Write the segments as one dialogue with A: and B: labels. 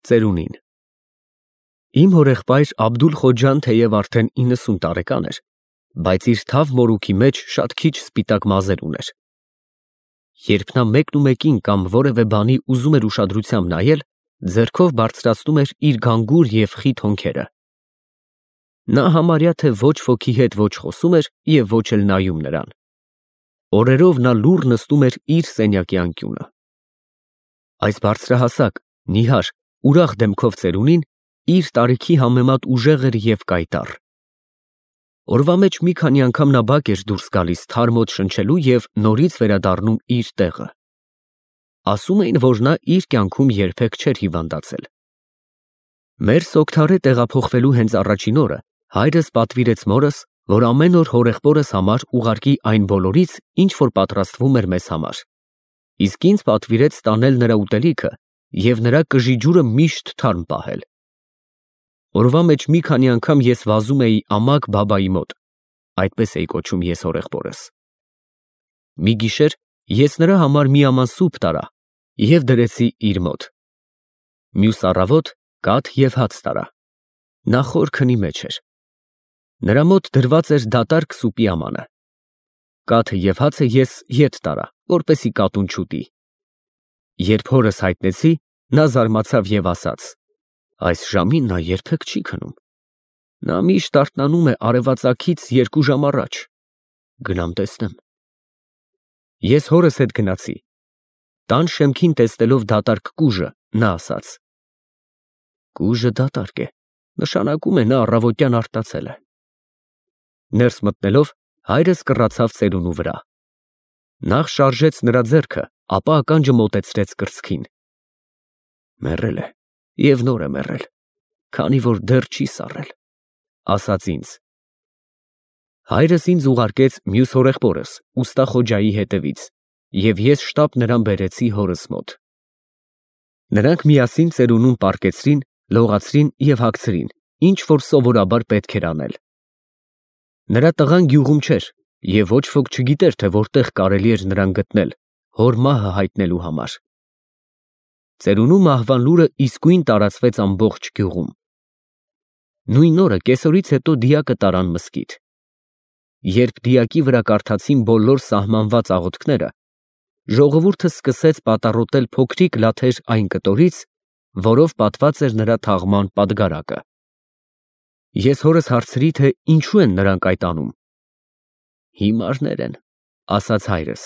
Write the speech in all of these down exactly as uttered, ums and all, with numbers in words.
A: Ծերունին Իմ հորեղբայր Աբդուլ-Խոջան թեև արդեն իննսուն տարեկան էր, բայց իր թավ մորուքի մեջ շատ քիչ սպիտակ մազեր ուներ։ Երբ նա մեկնումեկին կամ որևէ բանի ուզում էր ուշադրությամբ նայել, ձեռքով բարձրացնում էր իր գանգուր և խիտ հոնքերը։ Նա համարյա թե ոչ ոքի հետ ոչ խոսում էր և ոչ էլ նայում նրան։ Օրերով նա լուռ նստում էր իր սենյակի անկյունը։ Այս բարձրահասակ, նիհար, ուրախ դեմքով ծերունին իր տարիքի համեմատ ուժեղ էր և կայտառ։ Օրվա մեջ մի քանի անգամ նա բակ էր դուրս գալիս թարմ օդ շնչելու և նորից վերադառնում իր տեղը։ Ասում էին, որ նա իր կյանքում երբեք չէր հիվանդացել։ Մեր Սոգթարե տեղափոխվելու հենց առաջին օրը հայրս պատվիրեց մորս, որ ամեն օր հորեղբորս համար ուղարկի այն բոլորից, ինչ որ պատրաստվում էր մեզ համար, իսկ ինձ պատվիրեց տանել նրա ուտելիքը և նրա կժի ջուրը միշտ թարմ պահել։ Օրվա մեջ մի քանի անգամ ես վազում էի ամակ բաբայի մոտ, այդպես էի կոչում ես հորեղբորս։ Մի գիշեր ես նրա համար մի աման սուփ տարա և դրեցի իր մոտ։ Մյուս առավոտ կաթ և հաց տարա։ Նա խոր քնի մեջ էր։ Նրա մոտ դրված էր դատարկ սուպի ամանը։ Կաթը և հացը ես ետ տարա, որպեսզի կատուն չուտի։ Երբ հորս հայտնեցի, նա զարմացավ և ասաց. «Այս ժամին նա երբեք չի քնում։ Նա միշտ արթնանում է արևածագից երկու ժամ առաջ։ Գնամ տեսնեմ»։ Ես հորս հետ գնացի։ Տան շեմքին տեսնելով դատարկ կուժը, նա ասաց. «Կուժը դատարկ է, նշանակում է նա առավոտյան արտացել է»։ Ներս մտնելով հայրս կռացավ ծերունու վրա։ Նախ շարժեց նրա ձեռքը, ապա ականջը մոտեցրեց կրծքին։ «Մեռել է և նոր է մեռել, քանի որ դեռ չի սառել», ասաց ինձ։ Հայրս ինձ ուղարկեց մյուս հորեղբորս ուստա Խոջայի հետևից, և ես շտապ նրան բերեցի հորս մոտ։ Նրանք միասին ծերունուն պառկեցրին, լողացրին և հագցրին, ինչ որ սովորաբար պետք էր անել։ Նրա տղան գյուղում չէր, և ոչ ոք չգիտեր, թե որտեղ կարելի էր նրան գտնել, հոր մահը հայտնելու համար։ Ծերունու մահվան լուրը իսկույն տարածվեց ամբողջ գյուղում։ Նույն օրը կեսօրից հետո դիակը տարան մզկիթ։ Երբ դիակի վրա կարդացին բոլոր սահմանված աղոթքները, ժողովուրդը սկսեց պատառոտել փոքրիկ լաթեր այն կտորից, որով պատված էր նրա թաղման պատգարակը։ Ես հորս հարցրի, թե ինչու են նրանք այդ անում։ «Հիմարներ են», ասաց հայրս։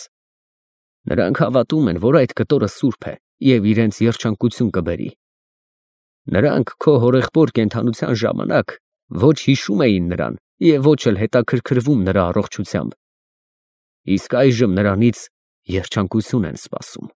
A: «Նրանք հավատում են, որ այդ կտորը սուրբ է և իրենց երջանկություն կբերի։ Նրանք քո հորեղբոր կենդանության ժամանակ ոչ հիշում էին նրան և ոչ էլ հետաքրքրվում նրա առողջությամբ, իսկ այժմ նրանից երջանկություն են սպասում»։